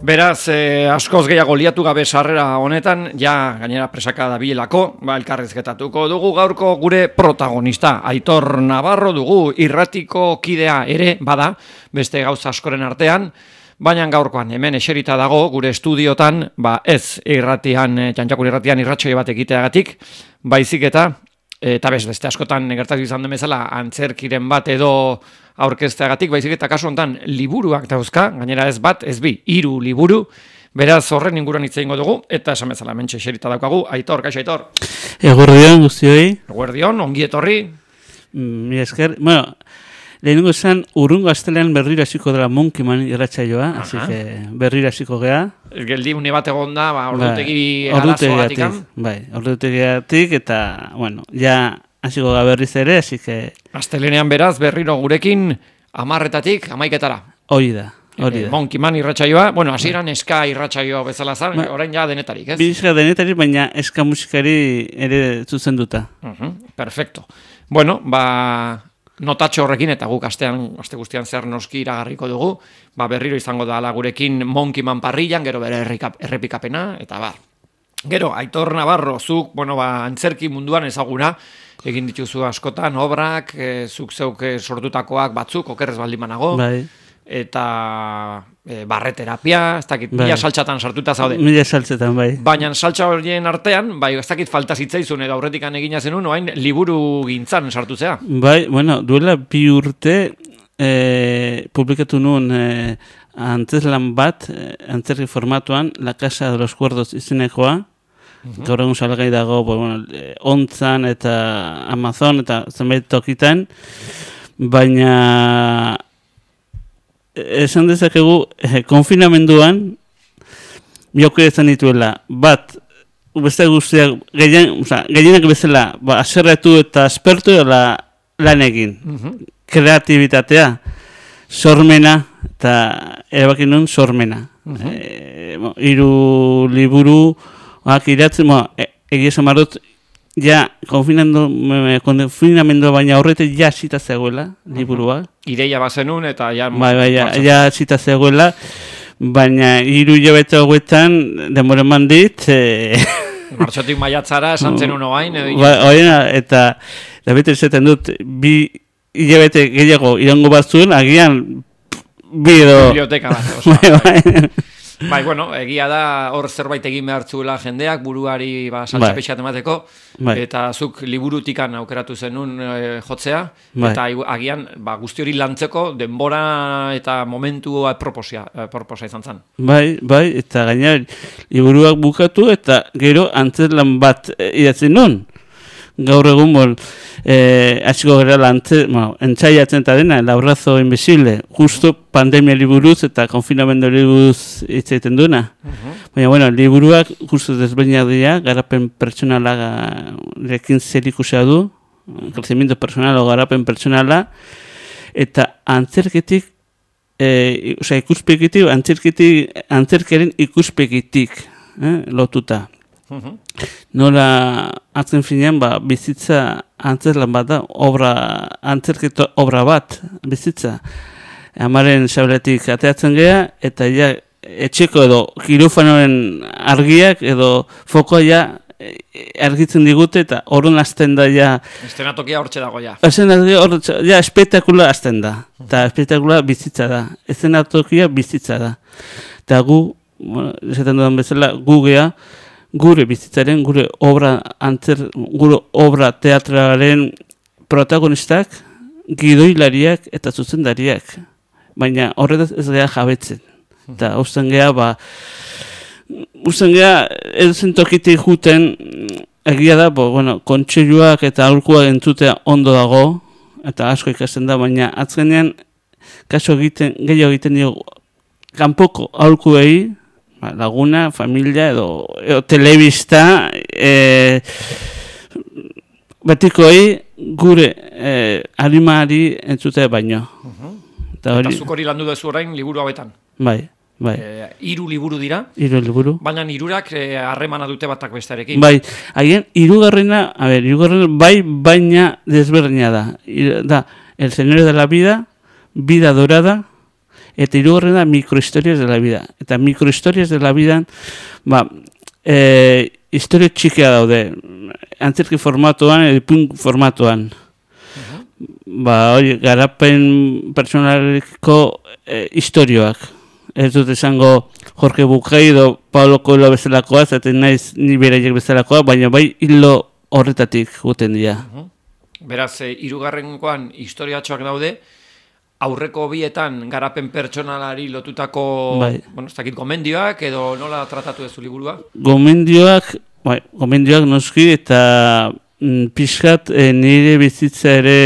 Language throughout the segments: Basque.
Beraz, askoz gehiago liatu gabe sarrera honetan, ja gainera presaka dabilelako, elkarrizketatuko dugu gaurko gure protagonista. Aitor Navarro dugu, irratiko kidea ere bada, beste gauza askoren artean, baina gaurkoan hemen eserita dago gure estudiotan, ez irratian, Txantxakur irratian irratxoi bat egiteagatik, baizik eta beste askotan gertatu izan den bezala antzerkiren bat edo aurkezteagatik, baizik eta kasu honetan liburuak dauzka, gainera ez bat, ez bi, 3 liburu, beraz horren inguruan hitz egingo dugu, eta esan bezala mentxe eserita daukagu. Aitor, kaixo Aitor? Eguerdion guztioi. Eguerdion, ongi etorri. Mila esker, bueno, lehenengo esan urrungo astelean berriro hasiko dela Monkeyman irratsaioa, así que berriro hasiko gea. Geldi une bat egon da, ordutegi arazoagatik. Bai, ordutegiatik eta, bueno, ja hasiko ga berriz ere, así que astelenean beraz berriro gurekin 10:00-tik 11:00-etara. Hori da. Monkeyman irratsaioa, bueno, hasieran eska irratsaioa bezala zan, orain ja denetarik, ez? Bizka denetarik, baina eska musikari ere zuzenduta. Perfecto. Bueno, notatxo horrekin eta guk aste guztian zer noski iragarriko dugu, berriro izango da gurekin Monkeyman parrillan, gero bere errepikapena, eta Gero, Aitor Navarro, zuk, antzerki munduan ezaguna, egin dituzu askotan, obrak, zuk zeuk sortutakoak batzuk, okerrez baldin banago, eta barreterapia, ez dakit, mila saltxatan sartuta zaude. Mila saltxatan, bai. Baina saltxa horien artean, ez dakit falta zitzaizun edo aurretikan egina zenun, oain liburu gintzan sartutzea. Bai, bueno, duela 2 urte publikatu nuen antzeslan bat, antzerki formatuan, La Casa de los Cuerdos izenekoa, gaur egun salgai dago, Ontzan eta Amazon eta zenbait tokitan, baina esan dezakegu konfinamenduan bioko izan dituela, beste guztiak gehienak bezala aserretu eta aspertu lan egin, kreatibitatea, sormena, eta erabakin nuen sormena. 3 liburu iratzen, egia esan dut, ja, konfinamendu baina horretik ja zita zegoela, liburua. Ideia bazenun eta ja... Ja zita zegoela, baina 3 hilabete hauetan denbora eman dit... Martxotik maiatzara esan zenun oain, eta bete esaten dut, 2 hilabete gehiago irango bat zuen, agian biblioteka bat, egia da hor zerbait egin behar zuela jendeak, buruari saltxa pixkat emateko, eta zuk liburutikan aukeratu zenun jotzea, eta agian guzti hori lantzeko denbora eta momentu proposa izan zen. Bai, eta gaina liburuak bukatu, eta gero antzeslan bat idatzen nun. Gaur egun hasiko gara entzaiatzen eta dena, El abrazo invisible, justo pandemia liburuz eta konfinamendu liburuz hitz egiten duena. Baina, liburuak justo desberdinak dira, garapen pertsonalarekin zerikusia du, crecimiento personal o garapen pertsonala, eta antzerketik, ikuspegitik, antzerkeren ikuspegitik lotuta. Nola atzen finean bizitza antzerlan bat da, antzerketo obra bat bizitza. Amaren sabeletik ateatzen gea, eta ja etxeko edo kirofanoren argiak edo fokoa argitzen digute, eta horren azten da estenatokia hortxe dago ja espektakula azten da, eta espektakula bizitza da, estenatokia bizitza da. Eta gu, esaten dudan bezala, gu gea, gure bizitzaren, gure obra teatralen protagonistak, gidoilariak eta zuzendariak. Baina horretaz ez geha jabetzen. Eta usten geha, edozen tokitik juten, egia da, kontseiluak eta aholkuak entzutea ondo dago, eta asko ikasten da, baina azkenean, gehiago egiten dio, kanpoko aholkuei, laguna, familia edo telebista betikoei gure animari entzutea baino. Eta zuk hori landu duzu orain liburu hauetan? Bai. 3 liburu dira? 3 liburu. Baina 3ak harremana dute batak bestearekin? Bai, haien 3garrena, baina desberdina da. Da, El Señor de la Vida, Vida Dorada, Eta hirugarrena microhistorias de la vida. Eta microhistorias de la vida, historia txikia daude. Antzerki formatuan, edipun formatuan. Garapen pertsonaliko historioak. Ez dut esango Jorge Bucay edo Paulo Coelho bezalakoa, zaten naiz ni beraiek bezalakoa, baina bai hilo horretatik guten dira. Beraz, hirugarrengoan historiatxoak daude, aurreko bietan garapen pertsonalari lotutako ez dakit, gomendioak edo nola tratatu duzu liburua? Gomendioak noski eta pixkat nire bizitza ere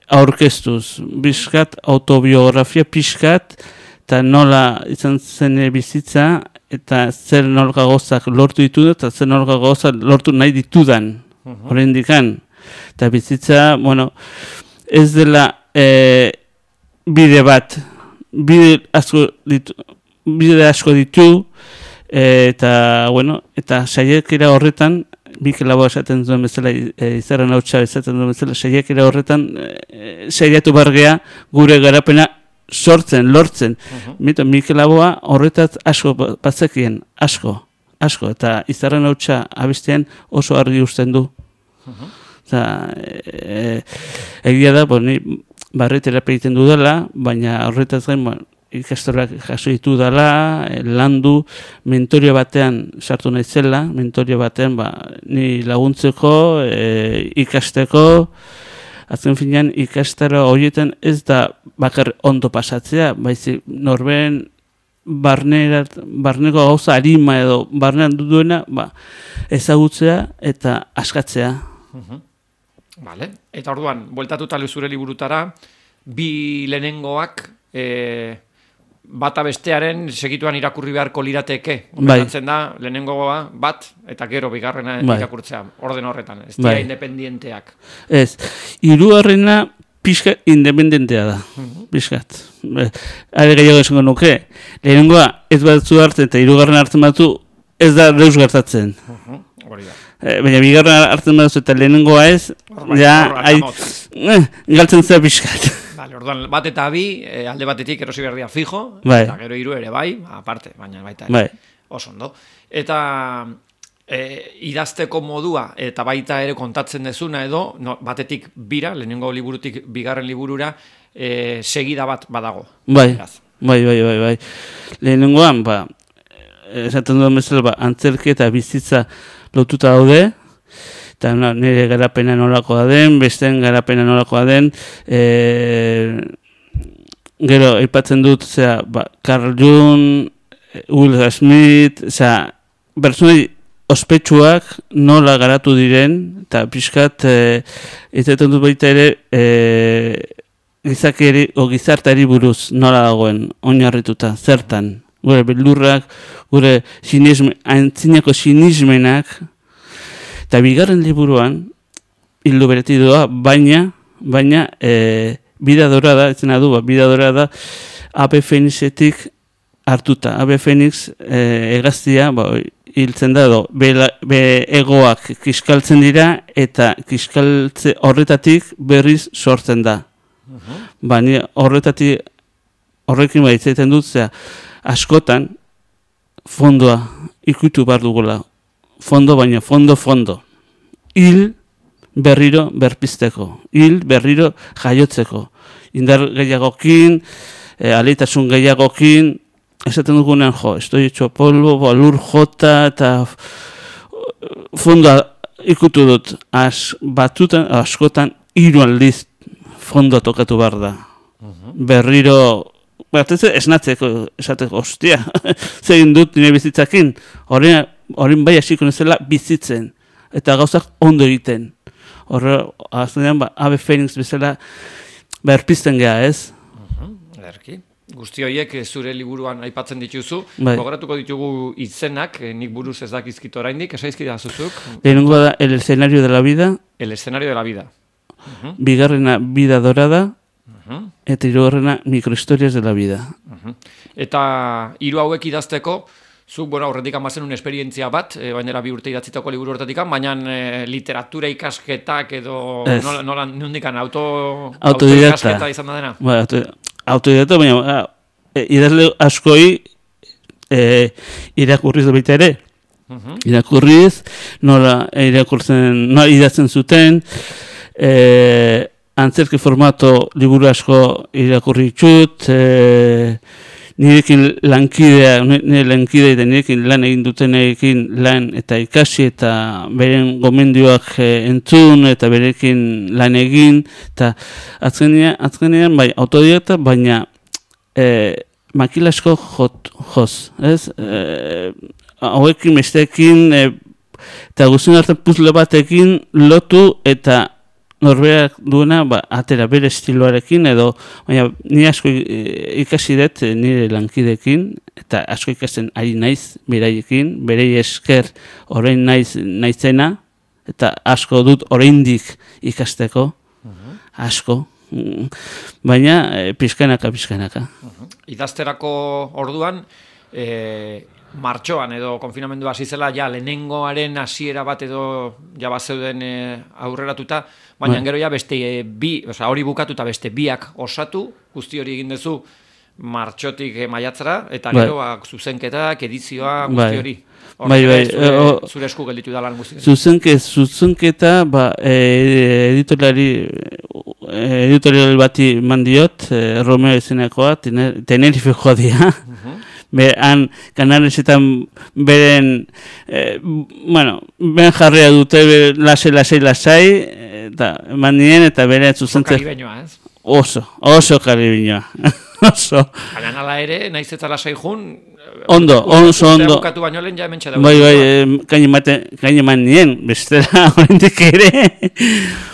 aurkeztuz. Pixkat autobiografia pixkat eta nola izan zen bizitza eta zer nolka gozak lortu ditudan eta zer nolka gozak lortu nahi ditudan. Horrein dikan. Eta bizitza, ez dela bide bat, bide asko ditu, eta saiakera horretan, Mikel Laboa esaten duen bezala, Izarren Hautsa esaten duen bezala, saiakera horretan, saiatu bargea gure garapena sortzen, lortzen. Mikel Laboa horretaz asko bazekien, asko, eta Izarren Hautsa abestean oso argi uzten du. Egia da, ni barreterapia egiten dudala, baina horretaz gain ikastorak jaso ditu dela, landu, mentorio batean sartu naizela, mentorio batean ni laguntzeko, ikasteko, azken finean ikastaro horietan ez da bakar ondo pasatzea, baizik norben barneko gauza arima edo barnean duena ezagutzea eta askatzea. Vale. Eta orduan, bueltatuta zure liburutara, bi lehenengoak bata bestearen segituan irakurri beharko lirateke. Gomendatzen da, lehenengoa bat, eta gero bigarrena irakurtzea, orden horretan, ez dira independienteak. Ez, hirugarrena pixka independentea da, pixkat. Are gehiago esango nuke, lehenengoa ez batzu hartzen eta hirugarren hartzen batu, ez da deus gertatzen. Hori da. Baina bigarren hartzen batu eta lehenengoa ez, galtzen zera pixkat. Orduan, bat eta bi, alde batetik erosi behar dira fijo, eta gero hiru ere aparte, baina baita ere, oso ondo. Eta idazteko modua, eta baita ere kontatzen dezuna edo, batetik bira, lehenengo liburutik bigarren liburura, segida bat badago. Bai. Lehenengoan, esaten duen bezala, antzerki eta bizitza lotuta daude, eta nire garapena nolakoa den, besteen garapena nolakoa den, gero aipatzen dut, Carl Jung, Will Smith, pertsonai ospetsuak nola garatu diren, eta pixkat, izaten dut baita ere, gizartari buruz nola dagoen, oinarrituta, zertan, gure beldurrak, gure antzinako sinismenak, eta bigarren liburuan, hildo bereti doa, baina, bida dorada, etzena du, bida dorada, Ave Fenixetik hartuta. Ave Fenix hegaztia, hiltzen da, be egoak kiskaltzen dira, eta kiskaltze horretatik berriz sortzen da. Baina horrekin baitzaiten dut, askotan, fondoa ikutu behar dugula. Fondo, baina fondo. Hil berriro berpizteko. Hil berriro jaiotzeko. Indar gehiagokin, aleitasun gehiagokin, esaten dugunean, estoy hecho polvo, lur jota, eta fondoa ikutu dut. Askotan, hiru aldiz fondoa tokatu behar da. Berriro, esnatzeko, esateko, ostia, zegin dut nire bizitzakin, horren bai hasiko nezela bizitzen, eta gauzak ondo egiten. Horre, azkenean, Ave Fenix bezala berpizten geha, ez? Ederki. Guzti horiek zure liburuan aipatzen dituzu. Gogoratuko ditugu izenak, nik buruz ez dakizkit oraindik, esaizkida zuzuk. Lehenengoa da, El escenario de la vida. El escenario de la vida. Bigarrena, Vida dorada. Eta hirugarrena, Microhistorias de la vida. Eta hiru hauek idazteko, zuk, horretik amazen un esperientzia bat, bainera 2 urte idatzitako liburu horretik, baina literatura ikasketak edo nondikan autoikasketa izan da dena? Autodidakta, baina idazle askoi irakurriz baita ere. Irakurriz, nola idatzen zuten, antzerki formato liburu asko irakurri ditut, nirekin nire lankidea eta nirekin lan egin dutenekin lan eta ikasi eta beren gomendioak entzun eta berekin lan egin, eta azkenean bai, autodidakta, baina makila asko joz, ez? Hauekin, besteekin, eta guztien hartzen puzle batekin lotu eta norberak duena atera bere estiloarekin edo, baina ni asko ikasi dut nire lankidekin eta asko ikasten ari naiz beraiekin, berei esker orain naizena eta asko dut oraindik ikasteko, asko, baina pizkanaka. Idazterako orduan, martxoan edo konfinamendua hasi zela, ja lehenengoaren hasiera bat edo ja bazeuden aurreratuta, baina gero ja beste hori bukatuta beste biak osatu, guzti hori egin duzu martxotik maiatzara, eta gero zuzenketak, edizioa, guzti hori. Zure esku gelditu da lan guzti. Zuzenketa, editorial bati mandiot, Romeo izenekoa, Tenerifekoa dira. Han Kanaresetan beren jarria dute lasai, eta eman nien, eta bere zuzentzen... Oso karibeñoa, ez? Oso karibeñoa. Baina nala ere, naiz eta lasai jun... Oso ondo. Bukatu baino lehen ja hementxe dago. Kain eman nien, bestela horrendik ere.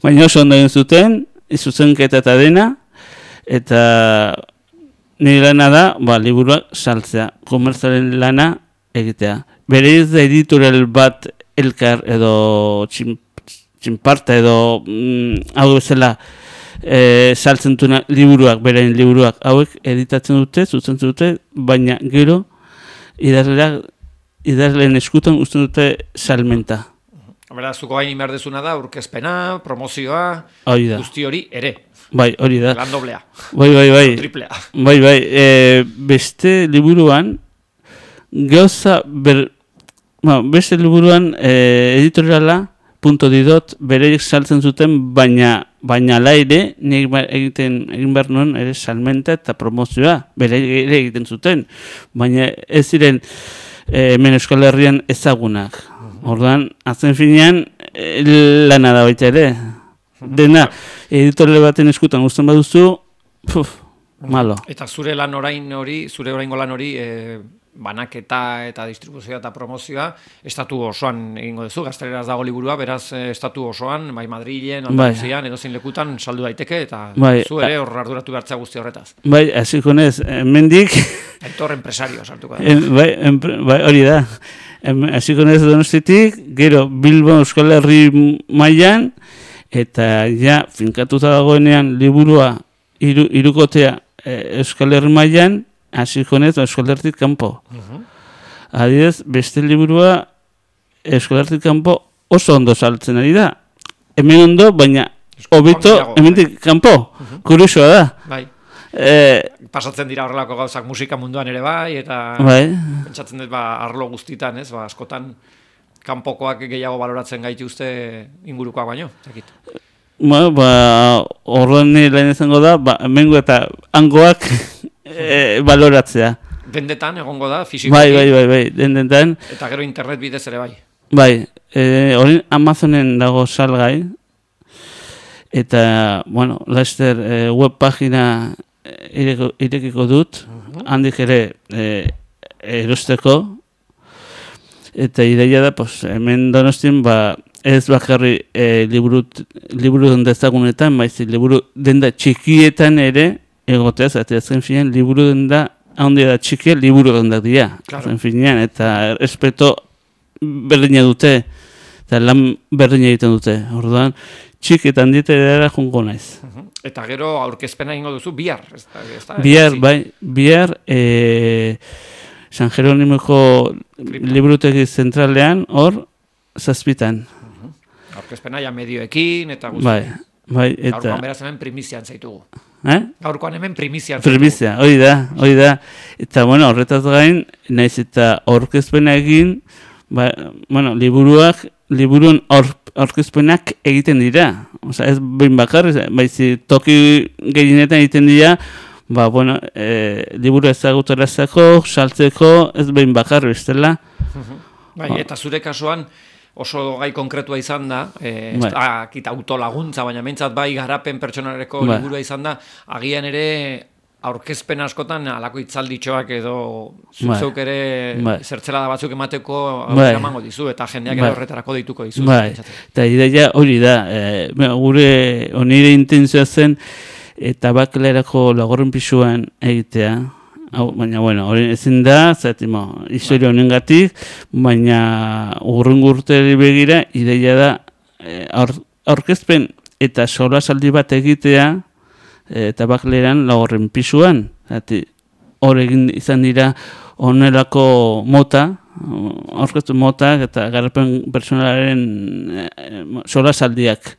Baina oso ondo egin zuten, zuzenketa eta dena, eta... Nire lana da, liburuak saltzea, komertzaren lana egitea. Bereiz da editorial bat elkar edo txinparta edo hau bezala saltzen duena liburuak, berain liburuak hauek editatzen dute, zuzentzen dute, baina gero idazleen eskutan uzten dute salmenta. Beraz, zuko hain inberdezuna da, aurkezpena, promozioa, guzti hori ere. Bai, hori da. Lan doblea. Bai. Triplea. Bai. Beste liburuan, beste liburuan editoriala, .didot, bereik saltzen zuten, baina laire, egin behar nuen, ere salmenta eta promozioa, bereik ere egiten zuten, baina ez ziren hemen Euskal Herrian ezagunak. Orduan, azken finean, lana da baita ere. Dena, editorial baten eskutan guztan baduzu, malo. Eta zure lan oraingo lan hori, banaketa eta distribuzioa eta promozioa, estatu osoan egingo duzu, Gazteleraz dago liburua, beraz estatu osoan, bai Madrilen, Andaluzian, edozein lekutan saldu daiteke, eta zu ere hor arduratu behartzea guzti horretaz. Bai, hasiko nez, hemendik... Aitor empresario sartuko da. Bai, hori da. Hasiko nez Donostitik, gero Bilbo Euskal Herri mailan, eta ja, finkatuta dagoenean liburua hirukotea Euskal Herri mailan, hasiko nez Euskal Herritik kanpo. Adibidez, beste liburua Euskal Herritik kanpo oso ondo saltzen ari da. Hemen ondo, baina hobeto hemendik kanpo. Kuriosoa da. Bai. Pasatzen dira horrelako gauzak musika munduan ere bai, eta pentsatzen dut arlo guztitan, ez, askotan kanpokoak gehiago baloratzen gaituzte ingurukoak baino, zakit. Horren lehen izango da, hemengo eta hangoak baloratzea. Dendetan egongo da, fisikoki. Bai, dendetan. Eta gero internet bidez ere bai. Bai, hori Amazonen dago salgai, eta, laster web pagina irekiko dut, handik ere erosteko, eta ideia da, hemen Donostien, ez bakarri liburu denda ezagunetan, liburu denda txikietan ere, egoteaz, eta azken finean, liburu denda, handia da txikia, liburu dendak dira, azken finean, eta respeto berdina dute, eta lan berdina egiten dute, orduan, txiketan dira jungo naiz. Eta gero aurkezpena ingo duzu bihar. Bihar San Jeronimoko liburutegi zentralean, hor, 7:00. Aurkezpena ja medioekin, eta guzti. Bai, eta... Gaurkoan beraz hemen primizian zaitugu. Gaurkoan hemen primizia. Primizia, hori da. Eta, bueno, horretaz gain, naiz eta aurkezpena egin, liburuen aurkezpenak egiten dira. Osa, ez behin bakarri, baizi toki gehienetan egiten dira, liburu ezagutarazako, saltzeko, ez behin bakarri, bestela. Eta zure kasuan, oso gai konkretua izan da, kita autolaguntza, baina mentzat bai garapen pertsonaleko liburua izan da, agian ere aurkezpen askotan alako itzalditxoak edo zuk ere zertzelada batzuk emateko emango dizu, eta jendeak ere horretarako deituko dizu. Eta ideia hori da, gure onire intentzioa zen, eta bakelerako lagorren pisuan egitea, baina, hori ezin da, historia honengatik, baina urrungo urteri begira, ideia da, aurkezpen eta solasaldi bat egitea, eta bakleran lagorren pisuan. Hor egin izan dira onelako mota, aurkeztu motak eta garapen personalaren solasaldiak.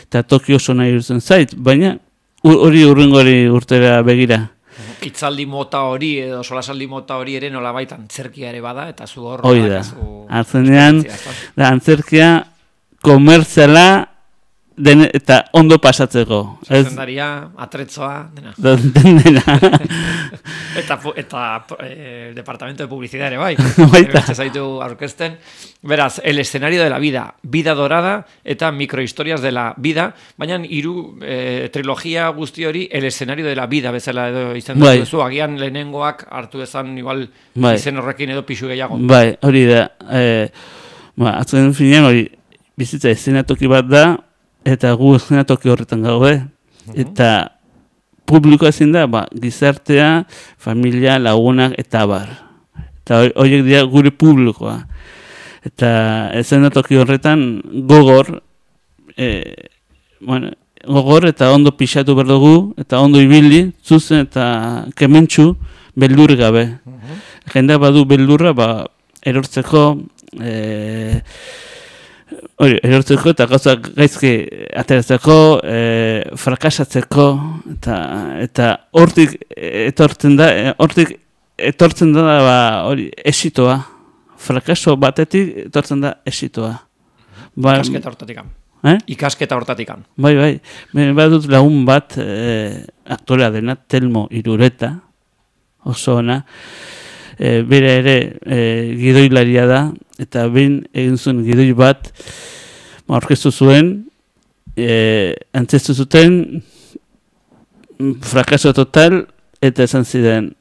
Eta Tokio oso nahi duzen zait, baina hori urrengori urtera begira. Itzaldi mota hori edo solasaldi mota hori ere nolabait antzerkia ere bada, eta zu hor... Hori da, hartzenean, antzerkia komertziala eta ondo pasatzeko. Zuzendaria, atretzoa, dena. Eta departamento de publicidad ere bai. Zaitu aurkezten. Beraz, el escenario de la vida, vida dorada eta microhistorias de la vida, baina hiru trilogia guzti hori el escenario de la vida bezala edo izan duzu, agian lehenengoak hartu ezan igual izen horrekin edo pixu gehiago. Bai, hori da. Azken finean hori bizitza eszenatoki bat da, eta gu eszenatoki horretan gaude. Eta publikoa ezin da, gizartea, familia, lagunak eta abar. Eta horiek dira gure publikoa. Eta eszenatoki horretan gogor eta ondo pixatu behar dugu, eta ondo ibili, zuzen eta kementsu, beldur gabe. Jendea badu beldurra, erortzeko, erortzeko eta gauzak gaizki ateratzeko, frakasatzeko, eta hortik etortzen da esitoa. Frakaso batetik etortzen da esitoa. Ikasketa hortatikan. Ikasketa hortatikan. Bai. Badut lagun bat aktorea dena, Telmo Irureta, oso ona. Bera ere gidoilaria da, eta behin egin zuen gidoi bat aurkeztu zuen, antzestu zuten, frakaso total, eta esan ziren,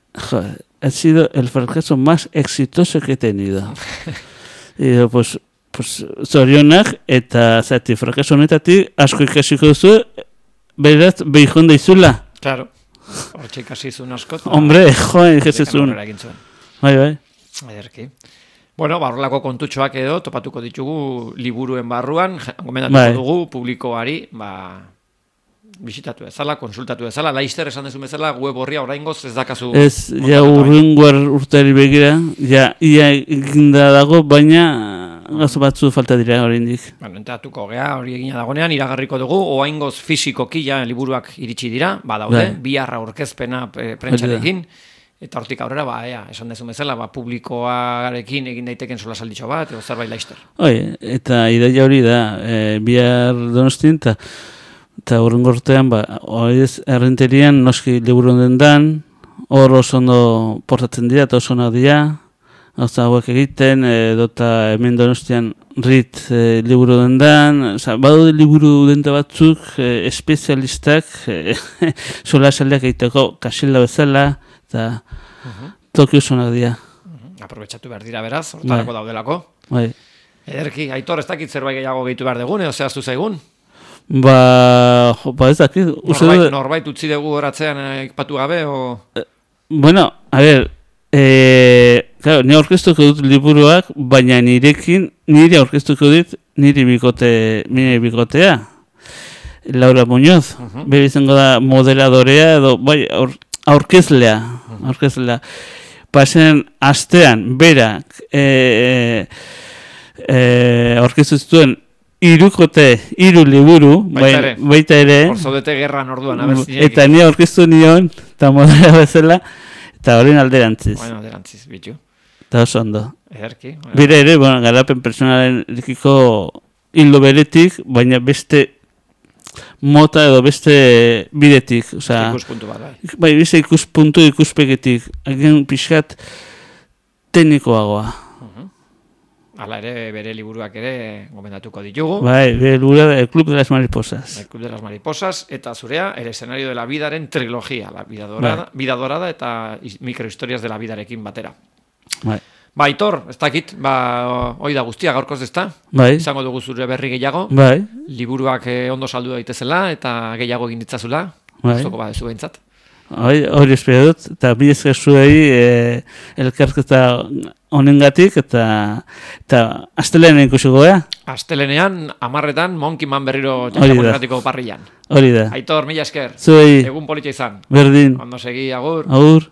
ha sido el fracaso más exitoso que he tenido. Y pues zorionak, eta zati, frakaso honetatik asko ikasiko duzu, beraz, behikon daizula. Claro, hortxe ikasizun asko. Hombre, joan, ikasizun. Bai. Ederki. Bueno, horrelako kontutxoak edo topatuko ditugu liburuen barruan, gomendatuko dugu publikoari, bisitatu ezala, konsultatu ezala, Laister esan dezu bezala, web horria oraingoz ez dakazu... Ez, urrengoar urteari begira, ia eginda dago, baina gazo batzu falta dira oraindik. Entratuko gea, hori egina dagonean, iragarriko dugu, oraingoz fisikoki liburuak iritsi dira, badaude, biharra aurkezpena prentsarekin, eta hortik aurrera, esan dezu bezala, publikoarekin egin daiteken solasalditxo bat, edo zerbait Laister. Eta ideia hori da, bihar Donostin, eta horrengo urtean, errenterian noski liburu dendan, hor oso ondo portatzen dira, eta oso onak dira, gauza hauek egiten, edota hemen Donostian rit liburu dendan, badaude liburu denda batzuk, espezialistak, solasaldiak egiteko kasila bezala, eta toki oso onak dira. Aprobetxatu behar dira beraz, hortarako daudelako. Ederki, Aitor, ez dakit zerbait gehiago gehitu behar degun, edo zehaztu zaigun? Ez dakit. Norbait utzi dugu horatzean ekpatu gabe, o... Bueno, a ver, ni aurkeztuko dut liburuak, baina nire aurkeztuko dut nire bikotea. Laura Muñoz, bere izango da modeladorea, edo, aurkezlea. Pasen astean, berak, aurkeztu zituen hiru liburu, baita ere. Hor zaudete gerran orduan, eta ni aurkeztu nion, eta modera bezala, eta horren alderantziz. Bueno, alderantziz, bitu. Eta oso ondo. Ederki. Bire ere, garapen personalen erikiko hildo beretik, baina beste mota edo beste bidetik. Ikuspuntu bat, bai. Bai, beste ikuspegetik. Agen pixkat teknikoagoa. Hala ere, bere liburuak ere gomendatuko ditugu. Bai, bere liburu El Club de las Mariposas. El Club de las Mariposas, eta zurea, El escenario de la vidaren trilogia, la vida dorada eta microhistorias de la vidarekin batera. Bai. Ba, Aitor, ez dakit, hoi da guztia gaurkoz ezta? Bai. Izango dugu zure berri gehiago. Bai. Liburuak ondo saldu daitezela eta gehiago egin ditzazula. Bai. Zoko badezu behintzat. Hori espero dut, eta bi esker zuei elkarketa honengatik, eta astelenean ikusiko gea. Astelenean, 10:00 Monkey Man berriro txantxamonetratiko parrillan. Hori da. Aitor, mila esker. Zuei. Egun politxa izan. Berdin. Ondo segi, agur. Agur.